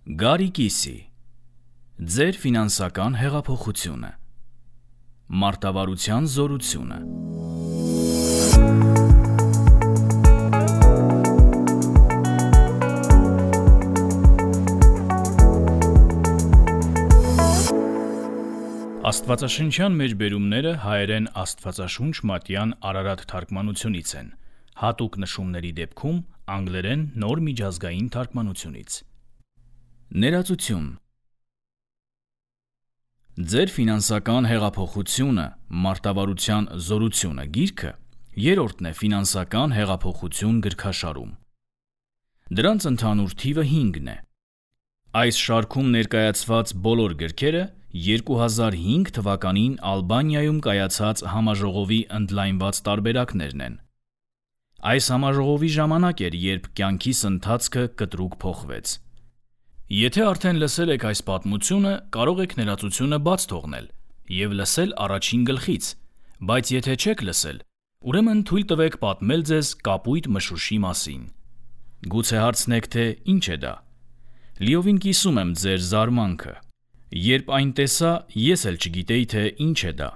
Գարիկիսի ձեր ֆինանսական հեղափոխությունը, մարտավարության զորությունը։ Աստվածաշնչյան մեջբերումները հայերեն Աստվածաշունչ մատյան Արարատ թարգմանությունից են, հատուկ նշումների դեպքում անգլերեն նոր միջազգային թարգմանությունից։ Ներածություն Ձեր ֆինանսական հեղափոխությունը, մարտավարության զորությունը գիրքը երրորդն է ֆինանսական հեղափոխություն գրքաշարում։ Դրանց ընդհանուր թիվը 5-ն է։ Այս շարքում ներկայացված բոլոր գրքերը 2005 թվականին Ալբանիայում կայացած համաժողովի ընդլայնված տարբերակներն են։ Այս համաժողովի ժամանակ էր, երբ կյանքիս ընթացքը կտրուկ փոխվեց։ Եթե արդեն լսել եք այս պատմությունը, կարող եք ներածությունը բաց թողնել և լսել առաջին գլխից, բայց եթե չեք լսել, ուրեմն թույլ տվեք պատմել ձեզ կապույտ մշուշի մասին։ Գուցե հարցնեք, թե ինչ է դա։ Լիովին կիսում եմ ձեր զարմանքը։ Երբ այն տեսա, ես էլ չգիտեի, թե ինչ է դա,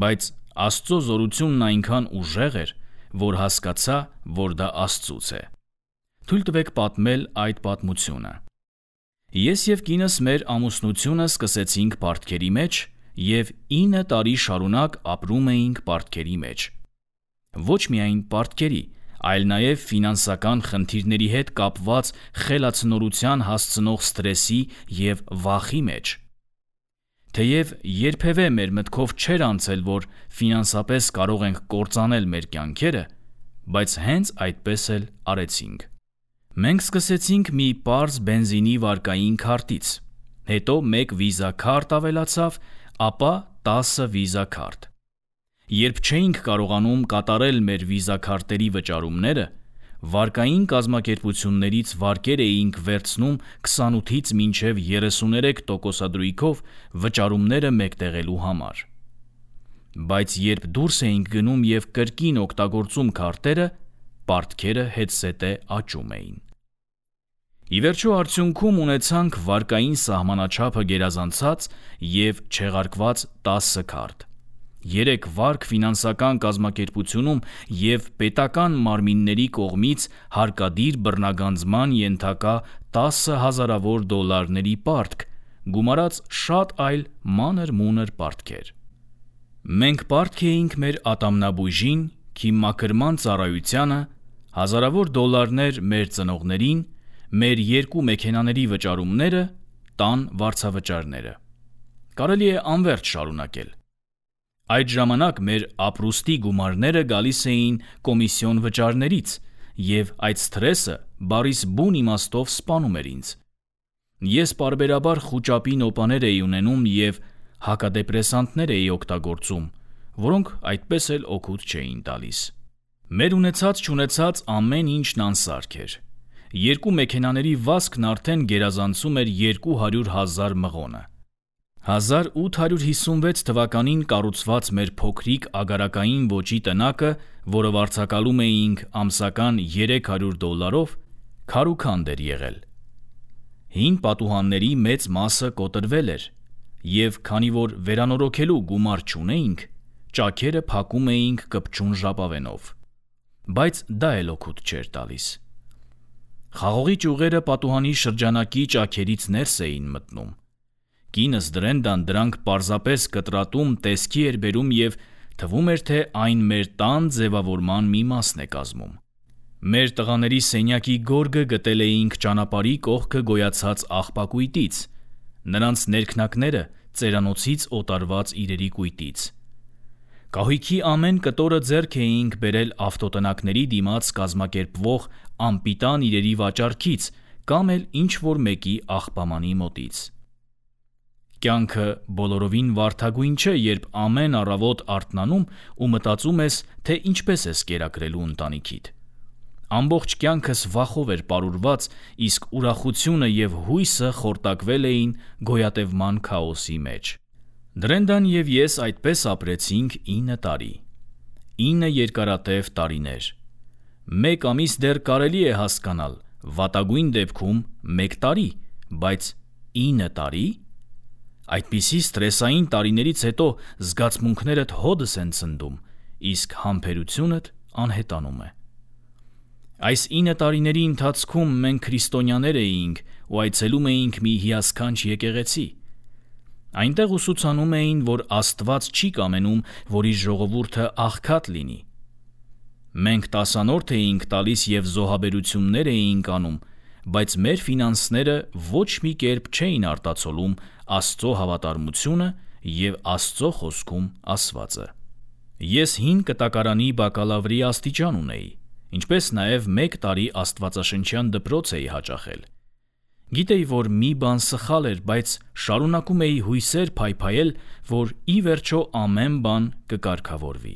բայց Աստծո զորությունն այնքան ուժեղ էր, որ հասկացա, որ դա Աստծուց է։ Թույլ տվեք պատմել այդ պատմությունը։ Ես և կինս մեր ամուսնությունը սկսեցինք պարտքերի մեջ և 9 տարի շարունակ ապրում էինք պարտքերի մեջ։ Ոչ միայն պարտքերի, այլ նաև ֆինանսական խնդիրների հետ կապված խելացնորության հասցնող սթրեսի և վախի մեջ։ Թեև երբևէ մեր մտքով չէր անցել, որ ֆինանսապես կարող ենք կործանել մեր կյանքերը, բայց հենց այդպես էլ արեցինք։ Մենք սկսեցինք մի պարզ բենզինի վարկային քարտից, հետո 1 վիզա քարտ ավելացավ, ապա 10 վիզա քարտ։ Երբ չէինք կարողանում կատարել մեր վիզա քարտերի վճարումները, վարկային կազմակերպություններից վարկեր էինք վերցնում 28-ից մինչև 33% վճարումները մեկտեղելու համար։ Բայց երբ դուրս էինք գնում և կրկին օգտագործում քարտերը, պարտքերը հետզհետե աճում էին։ Ի վերջո արդյունքում ունեցանք վարկային սահմանաչափը գերազանցած և չեղարկված 10 քարտ, 3 վարկ ֆինանսական կազմակերպությունում և պետական մարմինների կողմից հարկադիր բռնագանձման ենթակա 10 հազարավոր դոլարների պարտք, գումարած շատ այլ մանր-մունր պարտքեր։ Մենք պարտք էինք մեր ատամնաբույժին, քիմմաքրման ծառայությանը, հազարավոր դոլարներ մեր ծնողներին, մեր 2 մեքենաների վճարումները, տան վարձավճարները։ Կարելի է անվերջ շարունակել։ Այդ ժամանակ մեր ապրուստի գումարները գալիս էին կոմիսիոն վճարներից, և այդ սթրեսը բառիս բուն իմաստով սպանում էր ինձ։ Ես պարբերաբար խուճապի նոպաներ էի ունենում և հակադեպրեսանտներ էի օգտագործում, որոնք այդպես էլ օգուտ չէին տալիս։ Մեր ունեցած-չունեցած ամեն ինչն անսարք էր։ 2 մեքենաների վազքն արդեն գերազանցում էր 200,000 մղոնը։ 1856 թվականին կառուցված մեր փոքրիկ ագարակային ոճի տնակը, որը վարձակալում էինք ամսական $300, քարուքանդ էր եղել։ Հին պատուհանների մեծ մասը կոտրվել էր, և քանի որ վերանորոգելու գումար չունեինք, ճաքերը փակում էինք կպչուն ժապավենով։ Բայց դա էլ օգուտ չէր տալիս։ Խաղողի ճյուղերը պատուհանի շրջանակի ճաքերից ներս էին մտնում։ Կինս Դրենդան դրանք պարզապես կտրատում տեսքի էր բերում և թվում էր, թե այն մեր տան ձևավորման մի մասն է կազմում։ Մեր տղաների սենյակի գորգը գտել էինք ճանապարհի կողքը գոյացած աղբակույտից, նրանց ներքնակները ծերանոցից օտարված իրերի կույտից։ Կահույքի ամեն կտորը ձեռք էինք բերել ավտոտնակների դիմաց կազմակերպվող անպիտան իրերի վաճառքից կամ էլ ինչ-որ մեկի աղբամանի մոտից։ Կյանքը բոլորովին վարդագույն չէ, երբ ամեն առավոտ արթնանում ու մտածում ես, թե ինչպես ես կերակրելու ընտանիքիդ։ Ամբողջ կյանքս վախով էր պարուրված, իսկ ուրախությունը և հույսը խորտակվել էին գոյատևման քաոսի մեջ։ Դրենդան և ես այդպես ապրեցինք 9 տարի։ 9 երկարատև տարիներ։ 1 ամիս դեռ կարելի է հասկանալ, վատագույն դեպքում 1 տարի, բայց 9 տարի։ Այդպիսի ստրեսային տարիներից հետո զգացմունքներդ հոդս են ցնդում, իսկ համբերությունդ անհետանում է։ Այս 9 տարիների ընթացքում մենք քրիստոնյաներ էինք ու այցելում էինք մի հիասքանչ եկեղեցի։ Այնտեղ ուսուցանում էին, որ Աստված չի կամենում, որ իր ժողովուրդը աղքատ լինի։ Մենք տասանորդ էինք տալիս և զոհաբերություններ էինք անում, բայց մեր ֆինանսները ոչ մի կերպ չէին արտացոլում Աստծո հավատարմությունը և Աստծո խոսքում ասվածը։ Ես հին կտակարանի բակալավրի աստիճան ունեի, ինչպես նաև 1 տարի աստվածաշնչյան դպրոց էի հաճախել։ Գիտեի, որ մի բան սխալ էր, բայց շարունակում էի հույսեր փայփայել, որ ի վերջո ամեն բան կկարգավորվի։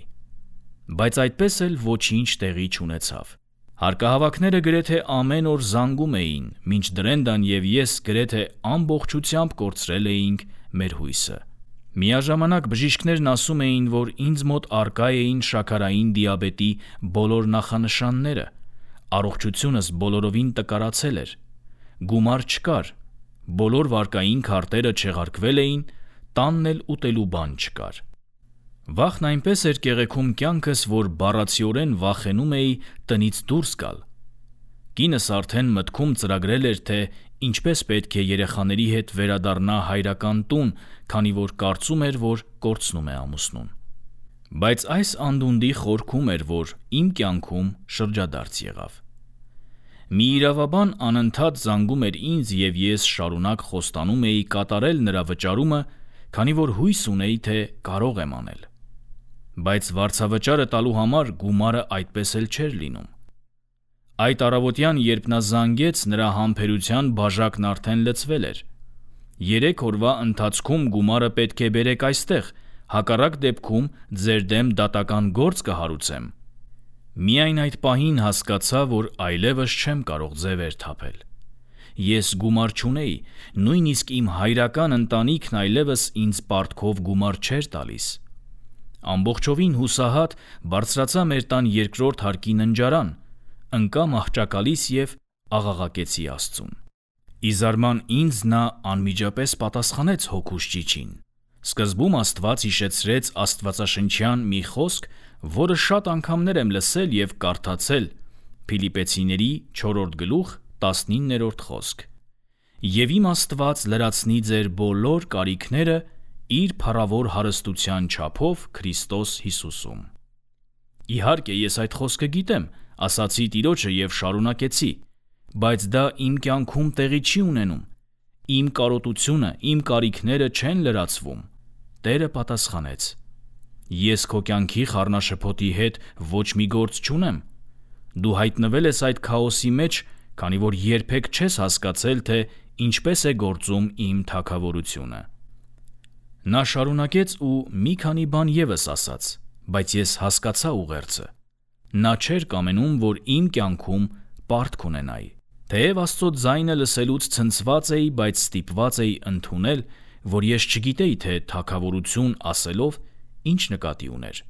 Բայց այդպես էլ ոչինչ տեղի չունեցավ։ Հարկահավաքները գրեթե ամեն օր զանգում էին, մինչ Դրենդան և ես գրեթե ամբողջությամբ կորցրել էինք մեր հույսը։ Միաժամանակ բժիշկներն ասում էին, որ ինձ մոտ առկա էին շաքարային դիաբետի բոլոր նախանշանները, առողջությունս բոլորովին տկարացել էր, գումար չկար, բոլոր վարկային քարտերը չեղարկվել էին, տանն էլ ուտելու բան չկար։ Վախն այնպես էր կեղեքում կյանքս, որ բառացիորեն վախենում էի տնից դուրս գալ։ Կինս արդեն մտքում ծրագրել էր, թե ինչպես պետք է երեխաների հետ վերադառնա հայրական տուն, քանի որ կարծում էր, որ կորցնում է ամուսնուն։ Բայց այս անդունդի խորքում էր, որ իմ կյանքում շրջադարձ եղավ։ Մի իրավաբան անընդհատ զանգում էր ինձ և ես շարունակ խոստանում էի կատարել նրա վճարումը, քանի որ հույս ունեի, թե կարող եմ անել։ Բայց վարձավճարը տալու համար գումարը այդպես էլ չէր լինում։ Այդ առավոտյան, երբ նա զանգեց, նրա համբերության բաժակն արդեն լցվել էր։ 3 օրվա ընթացքում գումարը պետք է բերեք այստեղ, հակառակ դեպքում ձեր դեմ դատական գործ կհարուցեմ։ Միայն այդ պահին հասկացա, որ այլևս չեմ կարող ձևեր թափել։ Ես գումար չունեի, նույնիսկ իմ հայրական ընտանիքն այլևս ինձ պարտքով գումար չէր տալիս։ Ամբողջովին հուսահատ բարձրացա մեր տան 2-րդ հարկի ննջարան, ընկա մահճակալից և աղաղակեցի Աստծուն։ Ի զարման ինձ նա անմիջապես պատասխանեց հոգուս ճիչին։ Սկզբում Աստված հիշեցրեց աստվածաշնչյան մի խոսք, որը շատ անգամներ եմ լսել և կարդացել, Փիլիպպեցիների 4-րդ գլուխ 19-րդ խոսք. «Եվ իմ Աստված լրացնի ձեր բոլոր կարիքները իր փառավոր հարստության չափով Քրիստոս Հիսուսում»։ Իհարկե, ես այդ խոսքը գիտեմ, ասացի Տիրոջը և շարունակեցի, բայց դա իմ կյանքում տեղի չի ունենում։ Իմ կարոտությունը, իմ կարիքները չեն լրացվում։ Տերը պատասխանեց. «Ես քո կյանքի խառնաշփոթի հետ ոչ մի գործ չունեմ։ Դու հայտնվել ես այդ քաոսի մեջ, քանի որ երբեք չես հասկացել, թե ինչպես է գործում իմ թագավորությունը»։ Նա շարունակեց ու մի քանի բան ևս ասաց, բայց ես հասկացա ուղերձը։ Նա չէր կամենում, որ իմ կյանքում պարտք ունենայի։ Թեև Աստծո ձայնը լսելուց ցնցված էի, բայց ստիպված էի ընդունել, որ ես չգիտեի, թե թագավորություն ասելով ինչ նկատի ուներ։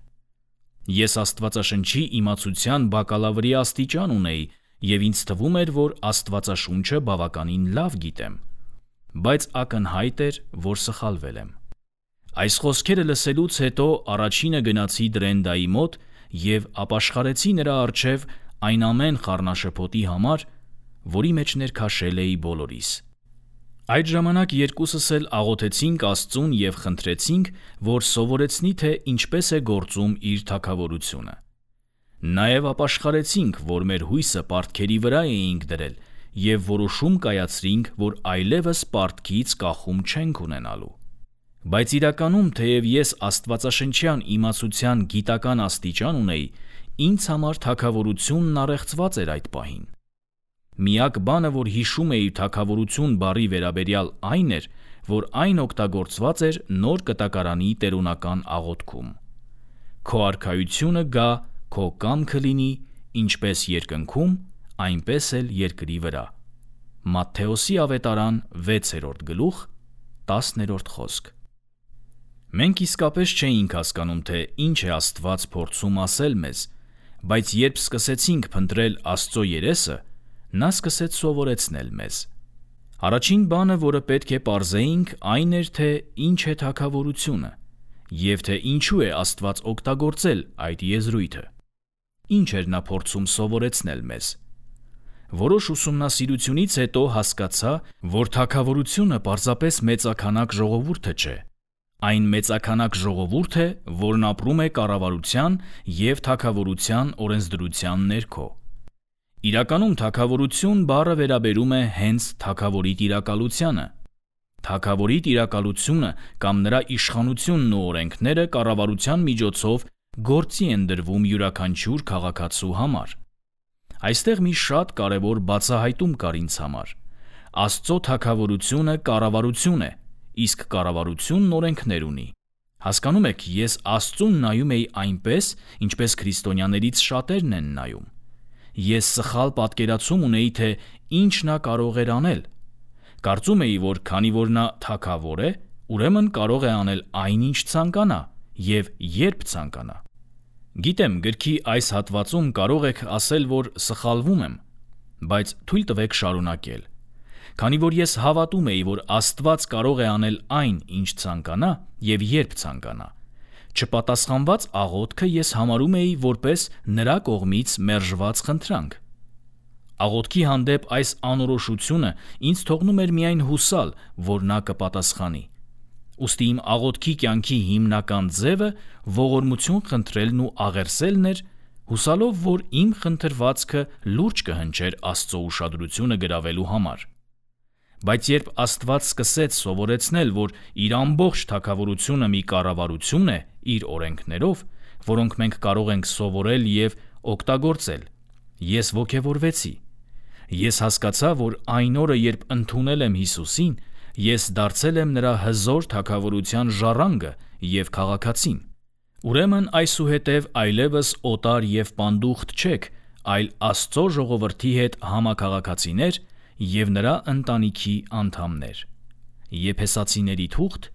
Ես Աստվածաշնչի իմացության բակալավրի աստիճան ունեի և ինձ թվում էր, որ Աստվածաշունչը բավականին լավ գիտեմ, բայց ակնհայտ էր, որ սխալվել եմ։ Այս խոսքերը լսելուց հետո առաջինը գնացի Դրենդայի մոտ և ապաշխարեցի նրա առջև այն ամեն խառնաշփոթի համար, որի մեջ ներքաշել էի բոլորիս։ Այդ ժամանակ երկուսս էլ աղոթեցինք Աստծուն և խնդրեցինք, որ սովորեցնի, թե ինչպես է գործում իր թագավորությունը։ Նաև ապաշխարեցինք, որ մեր հույսը պարտքերի վրա էինք դրել և որոշում կայացրինք, որ այլևս պարտքից կախում չենք ունենալու։ Բայց իրականում, թեև ես աստվածաշնչյան իմացության գիտական աստիճան ունեի, ինձ համար թագավորությունն առեղծված էր այդ պահին։ Միակ բանը, որ հիշում էի թագավորություն բառի վերաբերյալ այն էր, որ այն օգտագործված էր նոր կտակարանի տերունական աղոթքում. «Քո արքայությունը գա, քո կամքը լինի, ինչպես երկնքում, այնպես էլ երկրի վրա»։ Մատթեոսի ավետարան 6-րդ գլուխ 10-րդ խոսք։ Մենք իսկապես չէինք հասկանում, թե ինչ է Աստված փորձում ասել մեզ, բայց երբ սկսեցինք փնտրել Աստծո երեսը, նա սկսեց սովորեցնել մեզ։ Առաջին բանը, որը պետք է պարզեինք, այն էր, թե ինչ է թագավորությունը, և թե ինչու է Աստված օգտագործել այդ եզրույթը։ Ինչ էր նա փորձում սովորեցնել մեզ։ Որոշ ուսումնասիրությունից հետո հասկացա, որ թագավորությունը պարզապես մեծաքանակ ժողովուրդը չէ։ Այն մեծաքանակ ժողովուրդ է, որն ապրում է կառավարության և թագավորության օրենսդրության ներքո։ Իրականում թագավորություն բառը վերաբերում է հենց թագավորի տիրակալությանը։ Թագավորի տիրակալությունը կամ նրա իշխանությունն ու օրենքները կառավարության միջոցով գործի են դրվում յուրաքանչյուր քաղաքացու համար։ Այստեղ մի շատ կարևոր բացահայտում կար ինձ համար։ Աստծո թագավորությունը կառավարություն է, իսկ կառավարությունն օրենքներ ունի։ Հասկանում եք, ես Աստծուն նայում էի այնպես, ինչպես քրիստոնյաներից շատերն են նայում։ Ես սխալ պատկերացում ունեի, թե ինչ նա կարող էր անել։ Կարծում էի, որ քանի որ նա թագավոր է, ուրեմն կարող է անել այնինչ ցանկանա և երբ ցանկանա։ Գիտեմ, գրքի այս հատվածում կարող եք ասել, որ սխալվում եմ, բայց թույլ տվեք շարունակել։ Քանի որ ես հավատում էի, որ Աստված կարող է անել այն, ինչ ցանկանա և երբ ցանկանա, չպատասխանված աղոթքը ես համարում էի որպես նրա կողմից մերժված խնդրանք։ Աղոթքի հանդեպ այս անորոշությունը ինձ թողնում էր միայն հուսալ, որ նա կպատասխանի։ Ուստի իմ աղոթքի կյանքի հիմնական ձևը ողորմություն խնդրելն ու աղերսելն էր, հուսալով, որ իմ խնդրվածքը լուրջ կհնչեր Աստծո ուշադրությունը գրավելու համար։ Բայց երբ Աստված սկսեց սովորեցնել, որ իր ամբողջ թագավորությունը մի կառավարություն է իր օրենքներով, որոնք մենք կարող ենք սովորել և օգտագործել, ես ոգևորվեցի։ Ես հասկացա, որ այն օրը, երբ ընդունել եմ Հիսուսին, ես դարձել եմ նրա հզոր թագավորության ժառանգը և քաղաքացին։ Ուրեմն այսուհետև այլևս օտար և պանդուխտ չեք, այլ Աստծո ժողովրդի հետ համաքաղաքացիներ և նրա ընտանիքի անդամներ։ Եփեսացիների թուղթ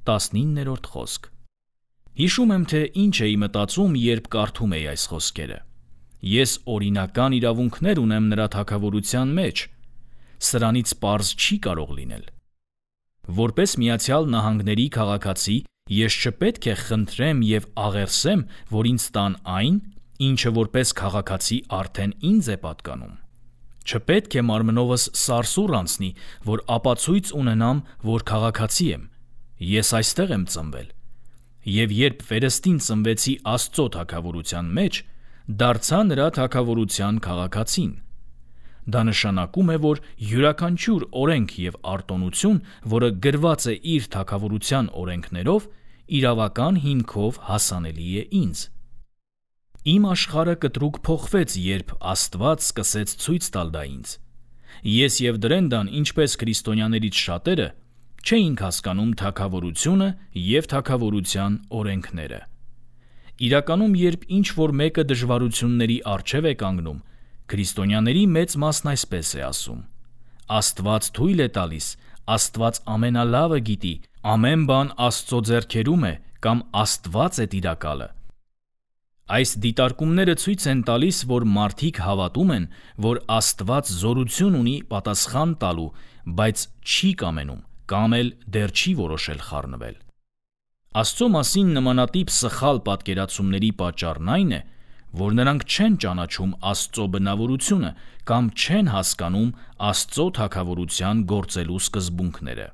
2-րդ խոսք։ Հիշում եմ, թե ինչ էի մտածում, երբ կարդում էի այս խոսքերը։ Ես օրինական իրավունքներ ունեմ նրա թագավորության մեջ։ Սրանից պարզ չի կարող լինել։ Որպես Միացյալ Նահանգների քաղաքացի, ես չպետք է խնդրեմ և աղերսեմ, որ ինձ տան այն, ինչը որպես քաղաքացի արդեն ինձ է պատկանում։ Չպետք է մարմնովս սարսուռ անցնի, որ ապացույց ունենամ, որ քաղաքացի եմ։ Ես այստեղ եմ ծնվել։ Եվ երբ վերստին ծնվեցի Աստծո թագավորության մեջ, դարձա նրա թագավորության քաղաքացին։ Դա նշանակում է, որ յուրաքանչյուր օրենք և արտոնություն, որը գրված է իր թագավորության օրենքներով, իրավական հիմքով հասանելի է ինձ։ Իմ աշխարհը կտրուկ փոխվեց, երբ Աստված սկսեց ցույց տալ դա ինձ։ Ես և Դրենդան, ինչպես քրիստոնյաներից շատերը, չէինք հասկանում թագավորությունը և թագավորության օրենքները։ Իրականում, երբ ինչ-որ մեկը դժվարությունների առջև է կանգնում, քրիստոնյաների մեծ մասն այսպես է ասում. Աստված թույլ է տալիս, Աստված ամենալավը գիտի, ամեն բան Աստծո ձեռքերում է կամ Աստված է տիրակալը։ Այս դիտարկումները ցույց են տալիս, որ մարդիկ հավատում են, որ Աստված զորություն ունի պատասխան տալու, բայց չի կամենում կամ էլ դեռ չի որոշել խառնվել։ Աստծո մասին նմանատիպ սխալ պատկերացումների պատճառն այն է, որ նրանք չեն ճանաչում Աստծո բնավորությունը կամ չեն հասկանում Աստծո թագավորության գործելու սկզբունքները։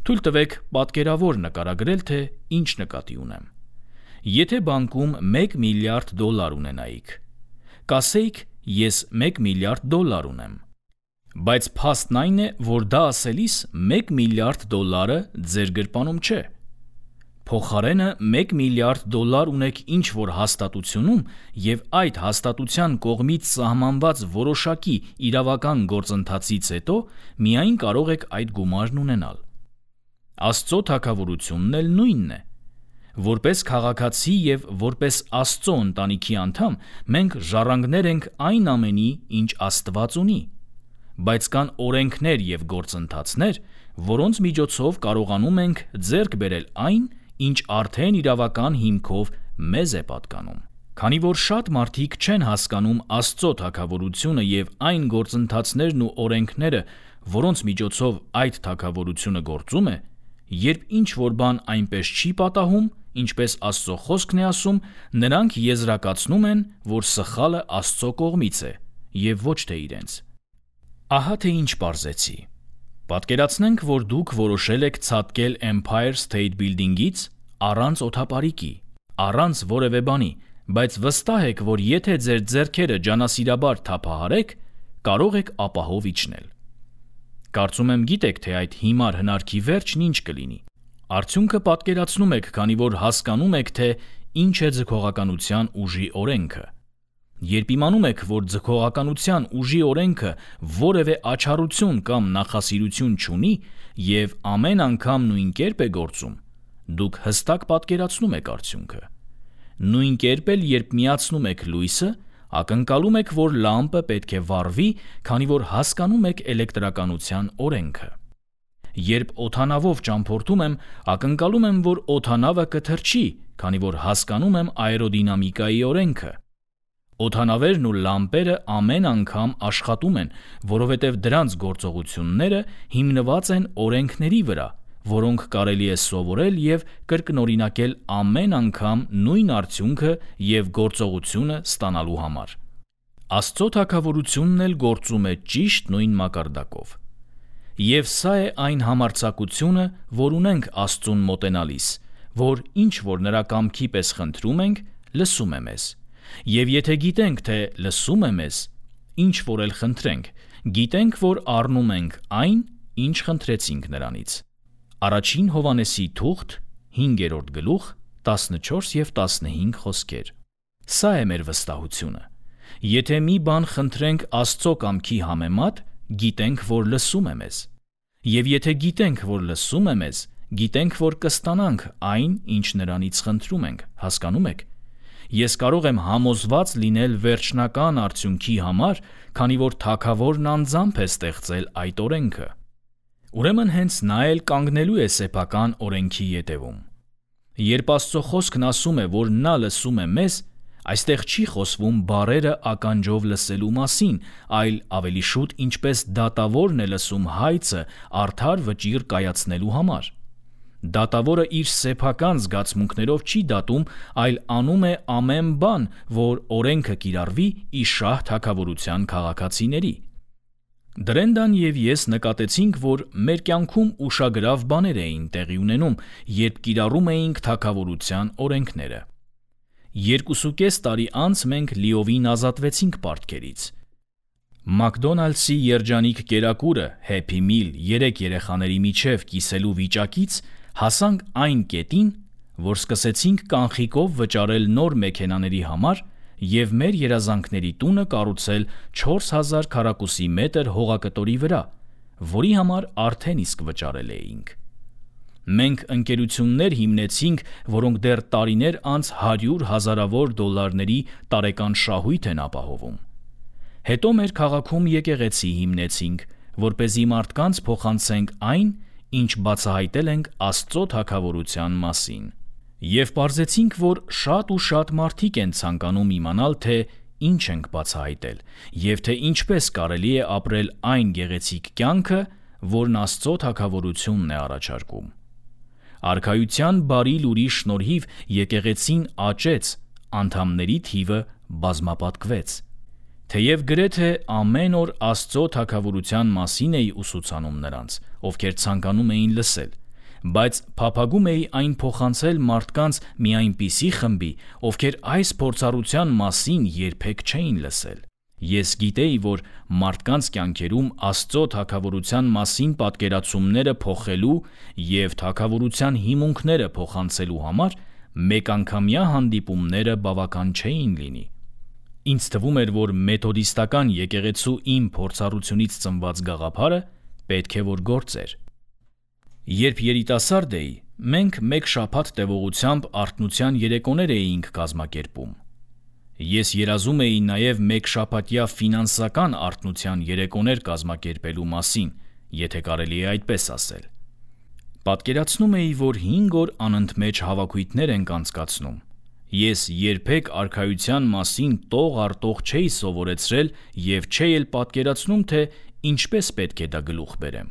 Թույլ տվեք պատկերավոր նկարագրել, թե ինչ նկատի ունեմ։ Եթե բանկում $1 միլիարդ ունենայիք, կասեիք, ես $1 միլիարդ ունեմ։ Բայց փաստն այն է, որ դա ասելիս $1 միլիարդ ձեր գրպանում չէ։ Փոխարենը $1 միլիարդ ունեք ինչ-որ հաստատությունում և այդ հաստատության կողմից սահմանված որոշակի իրավական գործընթացից հետո միայն կարող եք այդ գումարն ունենալ։ Աստծո թագավորությունն էլ նույնն է։ Որպես քաղաքացի և որպես Աստծո ընտանիքի անդամ մենք ժառանգներ ենք այն ամենի, ինչ Աստված ունի, բայց կան օրենքներ և գործընթացներ, որոնց միջոցով կարողանում ենք ձեռք բերել այն, ինչ արդեն իրավական հիմքով մեզ է պատկանում։ Քանի որ շատ մարդիկ չեն հասկանում Աստծո թագավորությունը եւ այն գործընթացներն ու օրենքները, որոնց միջոցով այդ թագավորությունը գործում է, երբ ինչ-որ բան այնպես չի պատահում, ինչպես Աստծո խոսքն է ասում, նրանք եզրակացնում են, որ սխալը Աստծո կողմից է եւ ոչ թե իրենց։ Ահա թե ինչ պարզեցի։ Պատկերացնենք, որ դուք որոշել եք ցատկել Empire State Building-ից առանց օդապարիկի, առանց որևէ բանի, բայց վստահ եք, որ եթե ձեր ձեռքերը ջանասիրաբար թափահարեք, կարող եք ապահով իջնել։ Կարծում եմ գիտեք, թե այդ հիմար հնարքի վերջն ինչ կլինի։ Արդյունքը պատկերացնում եք, քանի որ հասկանում եք, թե ինչ է ձգողականության ուժի օրենքը։ Երբ իմանում եք, որ ձգողականության ուժի օրենքը որևէ աչառություն կամ նախասիրություն չունի եւ ամեն անգամ նույն կերպ է գործում, դուք հստակ պատկերացնում եք արդյունքը։ Նույն կերպ էլ, երբ միացնում եք լույսը, ակնկալում եք, որ լամպը պետք է վառվի, քանի որ հասկանում եք էլեկտրականության օրենքը։ Երբ օդանավով ճամփորդում եմ, ակնկալում եմ, որ օդանավը կթռչի, քանի որ հասկանում եմ աերոդինամիկայի օրենքը։ Օդանավերն ու լամպերը ամեն անգամ աշխատում են, որովհետև դրանց գործողությունները հիմնված են օրենքների վրա, որոնք կարելի է սովորել եւ կրկնօրինակել ամեն անգամ նույն արդյունքը եւ գործողությունը ստանալու համար։ Աստծո թագավորությունն էլ գործում է ճիշտ նույն մակարդակով։ Եվ սա է այն համարձակությունը, որ ունենք Աստծուն մոտենալիս, որ ինչ որ նրա կամքի պես խնդրում ենք, լսում է մեզ։ Եվ եթե գիտենք, թե լսում է մեզ, ինչ որ էլ խնդրենք, գիտենք, որ առնում ենք այն, ինչ խնդրեցինք նրանից։ Առաջին Հովհաննեսի թուղթ 5-րդ գլուխ 14 եւ 15 խոսքեր։ Սա է մեր վստահությունը։ Եթե մի բան խնդրենք Աստծո կամքի համեմատ, գիտենք, որ լսում է մեզ։ Եվ եթե գիտենք, որ լսում է մեզ, գիտենք, որ կստանանք այն, ինչ նրանից խնդրում ենք, հասկանում եք։ Ես կարող եմ համոզված լինել վերջնական արդյունքի համար, քանի որ Թագավորն անձամբ է ստեղծել այդ օրենքը։ Ուրեմն հենց նա էլ կանգնելու է սեփական օրենքի ետևում։ Երբ Աստծո խոսքն ասում է, որ նա լսում է մեզ, այստեղ չի խոսվում բառերը ականջով լսելու մասին, այլ ավելի շուտ ինչպես դատավորն է լսում հայցը արդար վճիռ կայացնելու համար։ Դատավորը իր սեփական զգացմունքներով չի դատում, այլ անում է ամեն բան, որ օրենքը կիրառվի ի շահ թագավորության քաղաքացիների։ Դրենդան եւ ես նկատեցինք, որ մեր կյանքում ուշագրավ բաներ էին տեղի ունենում, երբ կիրառում էինք թագավորության օրենքները։ 2.5 տարի անց մենք լիովին ազատվեցինք պարտքերից։ Մակդոնալդսի երջանիկ կերակուրը Happy Meal 3 երեխաների միջև կիսելու վիճակից հասանք այն կետին, որ սկսեցինք կանխիկով վճարել նոր մեքենաների համար եւ մեր երազանքների տունը կառուցել 4000 քառակուսի մետր հողակտորի վրա, որի համար արդեն իսկ վճարել էինք։ Մենք ընկերություններ հիմնեցինք, որոնք դեռ տարիներ անց 100 հազարավոր դոլարների տարեկան շահույթ են ապահովում։ Հետո մեր քաղաքում եկեղեցի հիմնեցինք, որպեսզի մարդկանց փոխանցենք այն, ինչ բացահայտել ենք Աստծո թագավորության մասին։ Եվ պարզեցինք, որ շատ ու շատ մարդիկ են ցանկանում իմանալ, թե ինչ ենք բացահայտել, եւ թե ինչպես կարելի է ապրել այն գեղեցիկ կյանքը, որն Աստծո թագավորությունն է առաջարկում։ Արքայության բարի լուրի շնորհիվ եկեղեցին աճեց, անդամների թիվը բազմապատկվեց։ Թեև գրեթե ամեն օր Աստծո թագավորության մասին էի ուսուցանում նրանց, ովքեր ցանկանում էին լսել, բայց փափագում էի այն փոխանցել մարդկանց մի այնպիսի խմբի, ովքեր այս փորձառության մասին երբեք չէին լսել։ Ես գիտեի, որ մարդկանց կյանքերում Աստծո թագավորության մասին պատկերացումները փոխելու եւ թագավորության հիմունքները փոխանցելու համար մեկանգամյա հանդիպումները բավական չէին լինի։ Ինձ թվում էր, որ մեթոդիստական եկեղեցու իմ փորձառությունից ծնված գաղափարը պետք է որ գործեր։ Երբ երիտասարդ էի, մենք մեկ շաբաթ տևողությամբ արթնության երեկոներ էինք կազմակերպում։ Ես երազում էի նաև մեկ շաբաթյա ֆինանսական արթնության երեկոներ կազմակերպելու մասին, եթե կարելի է այդպես ասել։ Պատկերացնում էի, որ 5 օր անընդմեջ հավաքույթներ ենք անցկացնում, Ես երբեք արքայության մասին տող առ տող չէի սովորեցրել և չէի էլ պատկերացնում, թե ինչպես պետք է դա գլուխ բերեմ։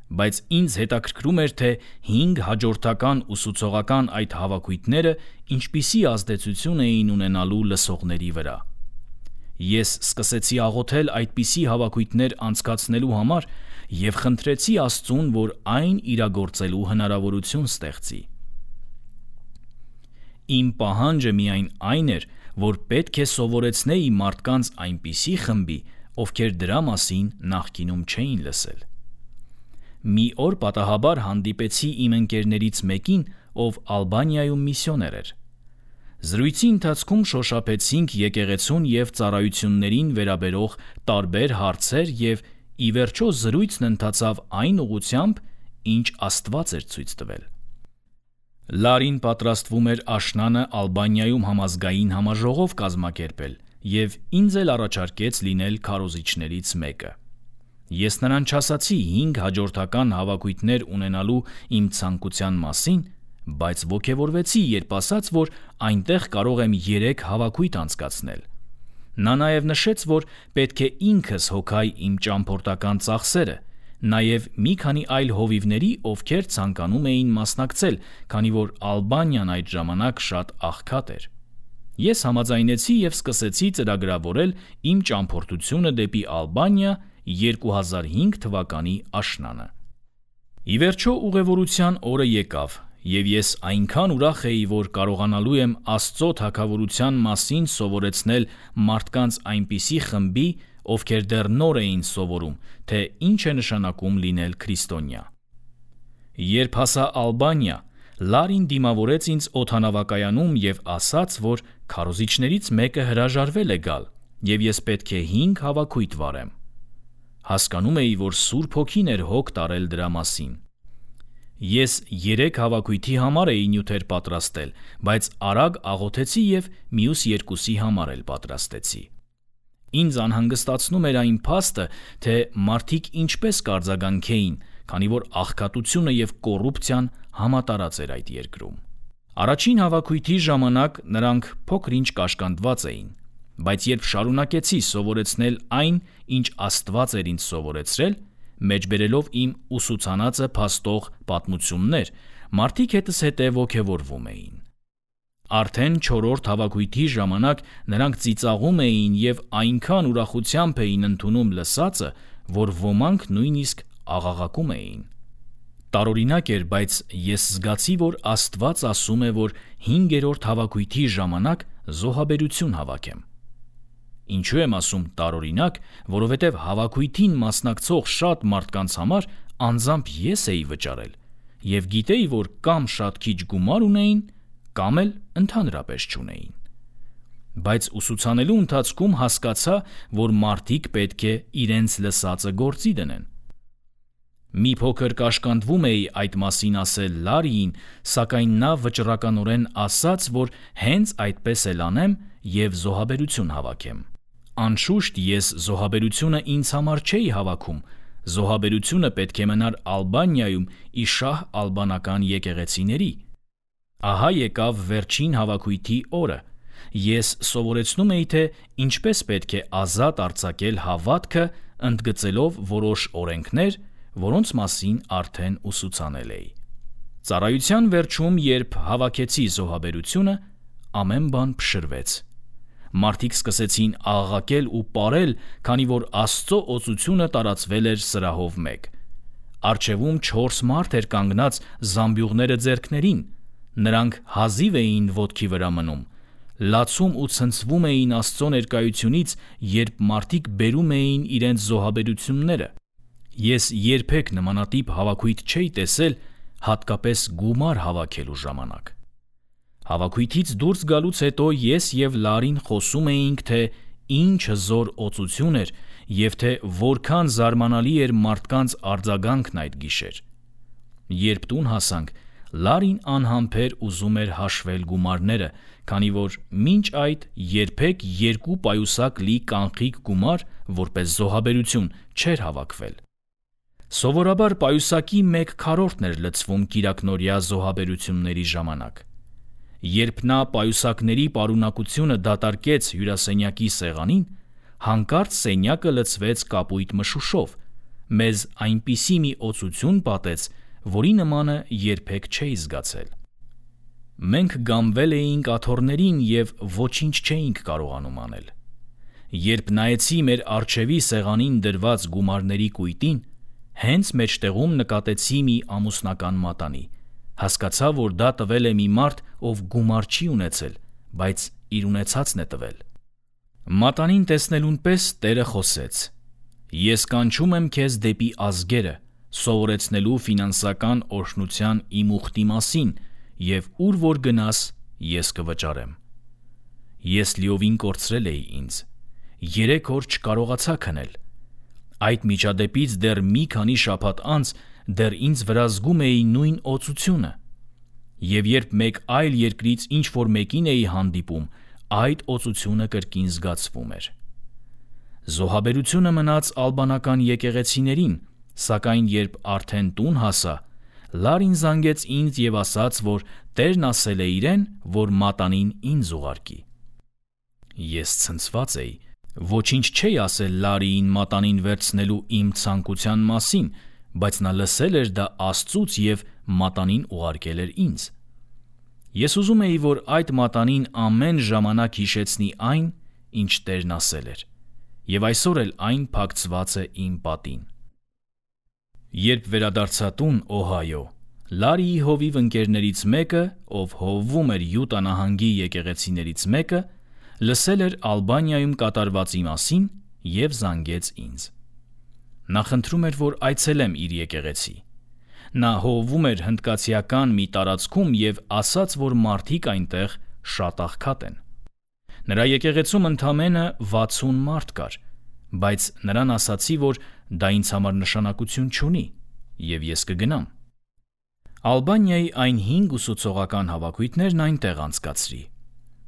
Բայց ինձ հետաքրքրում էր, թե 5 հաջորդական ուսուցողական այդ հավաքույթները ինչպիսի ազդեցություն էին ունենալու լսողների վրա։ Ես սկսեցի աղոթել այդպիսի հավաքույթներ անցկացնելու համար և խնդրեցի Աստծուն, որ այն իրագործելու հնարավորություն ստեղծի։ Իմ պահանջը միայն այն էր, որ պետք է սովորեցնեի մարդկանց այնպիսի խմբի, ովքեր դրա մասին նախկինում չէին լսել։ Մի օր պատահաբար հանդիպեցի իմ ընկերներից մեկին, ով Ալբանիայում միսիոներ էր։ Զրույցի ընթացքում շոշափեցինք եկեղեցուն և ծառայություններին վերաբերող տարբեր հարցեր և ի վերջո զրույցն ընթացավ այն ուղղությամբ, ինչ Աստված էր ցույց տվել։ Լարին պատրաստվում էր աշնանը Ալբանիայում համազգային համաժողով կազմակերպել և ինձ էլ առաջարկեց լինել քարոզիչներից մեկը։ Ես նրան չասացի 5 հաջորդական հավաքույթներ ունենալու իմ ցանկության մասին, բայց ոգևորվեցի, երբ ասաց, որ այնտեղ կարող եմ 3 հավաքույթ անցկացնել։ Նա նաև նշեց, որ պետք է ինքս հոգայի իմ ճամփորդական ծախսերը, նաև մի քանի այլ հովիվների, ովքեր ցանկանում էին մասնակցել, քանի որ Ալբանիան այդ ժամանակ շատ աղքատ էր։ Ես համաձայնեցի և սկսեցի ծրագրավորել իմ ճամփորդությունը դեպի Ալբանիա 2005 թվականի աշնանը։ Ի վերջո ուղևորության օրը եկավ, և ես այնքան ուրախ էի, որ կարողանալու եմ Աստծո թագավորության մասին սովորեցնել մարդկանց այնպիսի խմբի, ովքեր դեռ նոր էին սովորում, թե ինչ է նշանակում լինել քրիստոնյա։ Երբ հասա Ալբանիա, Լարին դիմավորեց ինձ օդանավակայանում և ասաց, որ քարոզիչներից մեկը հրաժարվել է գալ, և ես պետք է 5 հավաքույթ վարեմ։ Հասկանում էի, որ Սուրբ Հոգին էր հոգ տարել դրա մասին։ Ես 3 հավաքույթի համար էի նյութեր պատրաստել, բայց արագ աղոթեցի և մյուս 2-ի համար էլ պատրաստեցի։ Ինձ անհանգստացնում էր այն փաստը, թե մարդիկ ինչպես կարձագանքեին, քանի որ աղքատությունը և կոռուպցիան համատարած էր այդ երկրում։ Առաջին հավաքույթի ժամանակ նրանք փոքր-ինչ կաշկանդված էին, բայց երբ շարունակեցի սովորեցնել այն, ինչ Աստված էր ինձ սովորեցրել, մեջբերելով իմ ուսուցանածը փաստող պատմություններ, մարդիկ հետս հետե ոգևորվում էին։ Արդեն 4-րդ հավաքույթի ժամանակ նրանք ծիծաղում էին և այնքան ուրախությամբ էին ընդունում լսածը, որ ոմանք նույնիսկ աղաղակում էին։ Տարօրինակ էր, բայց ես զգացի, որ Աստված ասում է, որ 5-րդ հավաքույթի ժամանակ զոհաբերություն հավաքեմ։ Ինչու եմ ասում տարօրինակ, որովհետև հավաքույթին մասնակցող շատ մարդկանց համար անձամբ ես էի վճարել և գիտեի, որ կամ շատ քիչ գումար ունեին, կամ էլ ընդհանրապես չունեին։ Բայց ուսուցանելու ընթացքում հասկացա, որ մարդիկ պետք է իրենց լսածը գործի դնեն։ Մի փոքր կաշկանդվում էի այդ մասին ասել Լարիին, սակայն նա վճռականորեն ասաց, որ հենց այդպես էլ անեմ և զոհաբերություն հավաքեմ։ Անշուշտ ես զոհաբերությունը ինձ համար չէի հավաքում, զոհաբերությունը պետք է մնար Ալբանիայում ի շահ ալբանական եկեղեցիների։ Ահա եկավ վերջին հավաքույթի օրը։ Ես սովորեցնում էի, թե ինչպես պետք է ազատ արձակել հավատքը, ընդգծելով որոշ օրենքներ, որոնց մասին արդեն ուսուցանել էի։ Ծառայության վերջում, երբ հավաքեցի զոհաբերությունը, ամեն բան փշրվեց։ Մարդիկ սկսեցին աղաղակել ու պարել, քանի որ Աստծո օծությունը տարածվել էր սրահով մեկ։ Առջևում 4 մարդ էր կանգնած զամբյուղները ձեռքներին։ Նրանք հազիվ էին ոտքի վրա մնում, լացում ու ցնցվում էին Աստծո ներկայությունից, երբ մարդիկ բերում էին իրենց զոհաբերությունները։ Ես երբեք նմանատիպ հավաքույթ չէի տեսել, հատկապես գումար հավաքելու ժամանակ։ Հավաքույթից դուրս գալուց հետո ես և Լարին խոսում էինք, թե ինչ հզոր օծություն էր և թե որքան զարմանալի էր մարդկանց արձագանքն այդ գիշեր։ Երբ տուն հասանք, Լարին անհամբեր ուզում էր հաշվել գումարները, քանի որ մինչ այդ երբեք 2 պայուսակ լի կանխիկ գումար որպես զոհաբերություն չէր հավաքվել։ Սովորաբար պայուսակի 1/4-ն էր լցվում կիրակնօրյա զոհաբերությունների ժամանակ։ Երբ նա պայուսակների պարունակությունը դատարկեց հյուրասենյակի սեղանին, հանկարծ սենյակը լցվեց կապույտ մշուշով, մեզ այնպիսի մի օծություն պատեց, որի նմանը երբեք չէի զգացել։ Մենք գամվել էինք աթոռներին և ոչինչ չէինք կարողանում անել։ Երբ նայեցի մեր առջևի սեղանին դրված գումարների կույտին, հենց մեջտեղում նկատեցի մի ամուսնական մատանի, հասկացա, որ դա տվել է մի մարդ, ով գումար չի ունեցել, բայց իր ունեցածն է տվել։ Մատանին տեսնելուն պես Տերը խոսեց. «Ես կանչում եմ քեզ դեպի ազգերը, սովորեցնելու ֆինանսական օրհնության իմ ուխտի մասին, և ուր որ գնաս, ես կվճարեմ»։ Ես լիովին կորցրել էի ինձ։ 3 օր չկարողացա քնել։ Այդ միջադեպից դեռ մի քանի շաբաթ անց դեռ ինձ վրա զգում էի նույն օծությունը։ Եվ երբ մեկ այլ երկրից ինչ-որ մեկին էի հանդիպում, այդ օծությունը կրկին զգացվում էր։ Զոհաբերությունը մնաց ալբանական եկեղեցիներին, սակայն երբ արդեն տուն հասա, Լարին զանգեց ինձ և ասաց, որ Տերն ասել է իրեն, որ մատանին ինձ ուղարկի։ Ես ցնցված էի։ Ոչինչ չէի ասել Լարիին մատանին վերցնելու իմ ցանկության մասին, բայց նա լսել էր դա Աստծուց և մատանին ուղարկել էր ինձ։ Ես ուզում էի, որ այդ մատանին ամեն ժամանակ հիշեցնի այն, ինչ Տերն ասել էր, և այսօր էլ այն փակցված է իմ պատին։ Երբ վերադարձա տուն, Օհայո, Լարիի հովիվ ընկերներից մեկը, ով հովվում էր Յուտա նահանգի եկեղեցիներից մեկը, լսել էր Ալբանիայում կատարվածի մասին և զանգեց ինձ։ Նա խնդրում էր, որ այցելեմ իր եկեղեցի։ Նա հովվում էր հնդկացիական մի տարածքում և ասաց, որ մարդիկ այնտեղ շատ աղքատ են։ Նրա եկեղեցում ընդամենը 60 մարդ կար, բայց նրան ասացի, որ դա ինձ համար նշանակություն չունի, և ես կգնամ։ Ալբանիայի այն 5 ուսուցողական հավաքույթներն այնտեղ անցկացրի։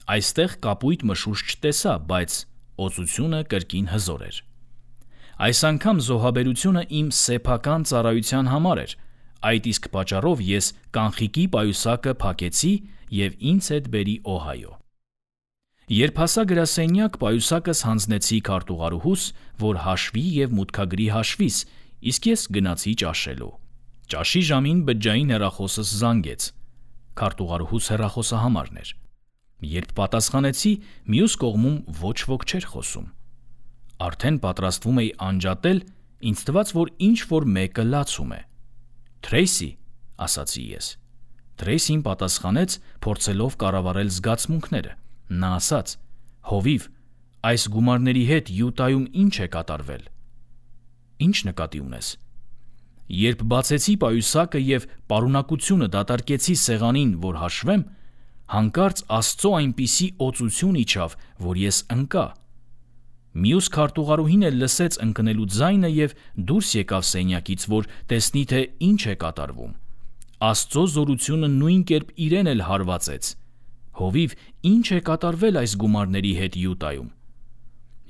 Այստեղ կապույտ մշուշ չտեսա, բայց օծությունը կրկին հզոր էր։ Այս անգամ զոհաբերությունը իմ սեփական ծառայության համար էր, այդ իսկ պատճառով ես կանխիկի պայուսակը փակեցի և ինձ հետ բերի Օհայո։ Երբ հասա գրասենյակ, պայուսակս հանձնեցի քարտուղարուհուս, որ հաշվի և մուտքագրի հաշվիս, իսկ ես գնացի ճաշելու։ Ճաշի ժամին բջջային հեռախոսս զանգեց։ Քարտուղարուհուս հեռախոսահամարն էր։ Երբ պատասխանեցի, մյուս կողմում ոչ ոք չէր խոսում։ Արդեն պատրաստվում էի անջատել, ինձ թվաց, որ ինչ-որ մեկը լացում է։ «Թրեյսի», ասացի ես։ Թրեյսին պատասխանեց, փորձելով կառավարել զգացմունքները։ Նա ասաց. «Հովիվ, այս գումարների հետ Յուտայում ինչ է կատարվել»։ «Ինչ նկատի ունես»։ Երբ բացեցի պայուսակը և պարունակությունը դատարկեցի սեղանին, որ հաշվեմ, հանկարծ Աստծո այնպիսի օծություն իջավ, որ ես ընկա։ Մյուս քարտուղարուհին էլ լսեց ընկնելու ձայնը և դուրս եկավ սենյակից, որ տեսնի, թե ինչ է կատարվում։ Աստծո զորությունը նույն կերպ իրեն էլ հարվածեց։ «Հովիվ, ինչ է կատարվել այս գումարների հետ Յուտայում»։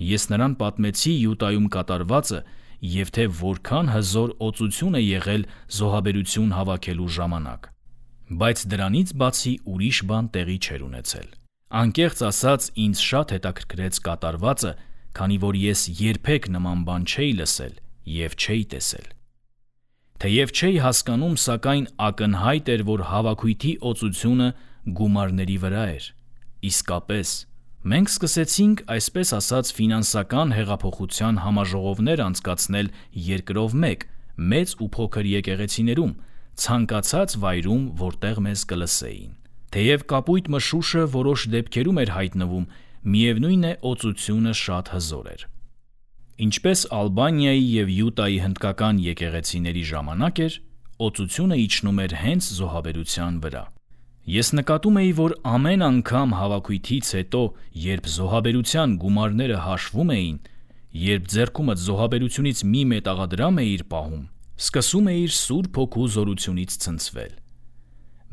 Ես նրան պատմեցի Յուտայում կատարվածը և թե որքան հզոր օծություն է եղել զոհաբերություն հավաքելու ժամանակ։ Բայց դրանից բացի ուրիշ բան տեղի չէր ունեցել։ Անկեղծ ասած, ինձ շատ հետաքրքրեց կատարվածը, քանի որ ես երբեք նման բան չէի լսել և չէի տեսել։ Թեև չէի հասկանում, սակայն ակնհայտ էր, որ հավաքույթի օծությունը գումարների վրա էր։ Իսկապես, մենք սկսեցինք, այսպես ասած, ֆինանսական հեղափոխության համաժողովներ անցկացնել երկրով մեկ, մեծ ու փոքր եկեղեցիներում, ցանկացած վայրում, որտեղ մեզ կլսեին։ Թեև կապույտ մշուշը որոշ դեպքերում էր հայտնվում, միևնույն է, օծությունը շատ հզոր էր։ Ինչպես Ալբանիայի և Յուտայի հնդկական եկեղեցիների ժամանակ էր, օծությունը իջնում էր հենց զոհաբերության վրա։ Ես նկատում էի, որ ամեն անգամ հավաքույթից հետո, երբ զոհաբերության գումարները հաշվում էին, երբ ձեռքումդ զոհաբերությունից մի մետաղադրամ էիր պահում, սկսում էիր Սուրբ Հոգու զորությունից ցնցվել։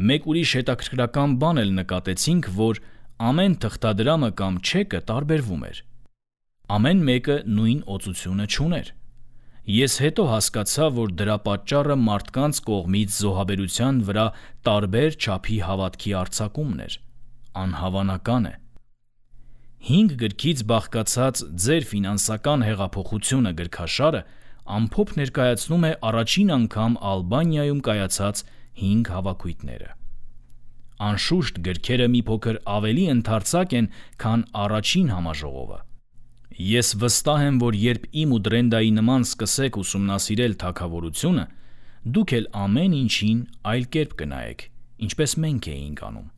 Մեկ ուրիշ հետաքրքրական բան էլ նկատեցինք, որ ամեն թղթադրամը կամ չեկը տարբերվում էր։ Ամեն մեկը նույն օծությունը չուներ։ Ես հետո հասկացա, որ դրա պատճառը մարդկանց կողմից զոհաբերության վրա տարբեր չափի հավատքի արձակումն էր։ անհավանական է։ 5 գրքից բաղկացած ձեր ֆինանսական հեղափոխությունը գրքաշարը ամփոփ ներկայացնում է առաջին անգամ Ալբանիայում կայացած 5 հավաքույթները։ Անշուշտ գրքերը մի փոքր ավելի ընդարձակ են, քան առաջին համաժողովը։ Ես վստահ եմ, որ երբ իմ ու Դրենդայի նման սկսեք ուսումնասիրել թագավորությունը, դուք էլ ամեն ինչին այլ կերպ կնայեք, ինչպես մենք էինք անում։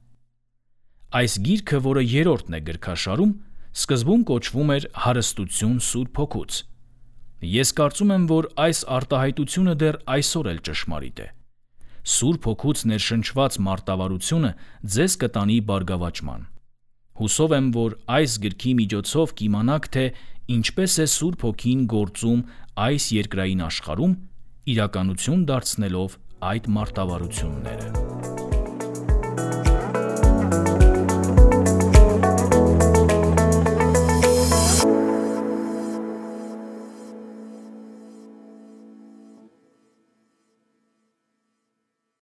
Այս գիրքը, որը երրորդն է գրքաշարում, սկզբում կոչվում էր «Հարստություն Սուրբ Հոգուց»։ Ես կարծում եմ, որ այս արտահայտությունը դեռ այսօր էլ ճշմարիտ է։ Սուրբ Հոգուց ներշնչված մարտավարությունը ձեզ կտանի բարգավաճման։ Հուսով եմ, որ այս գրքի միջոցով կիմանաք, թե ինչպես է Սուրբ Հոգին գործում այս երկրային աշխարհում, իրականություն դարձնելով այդ մարտավարությունները։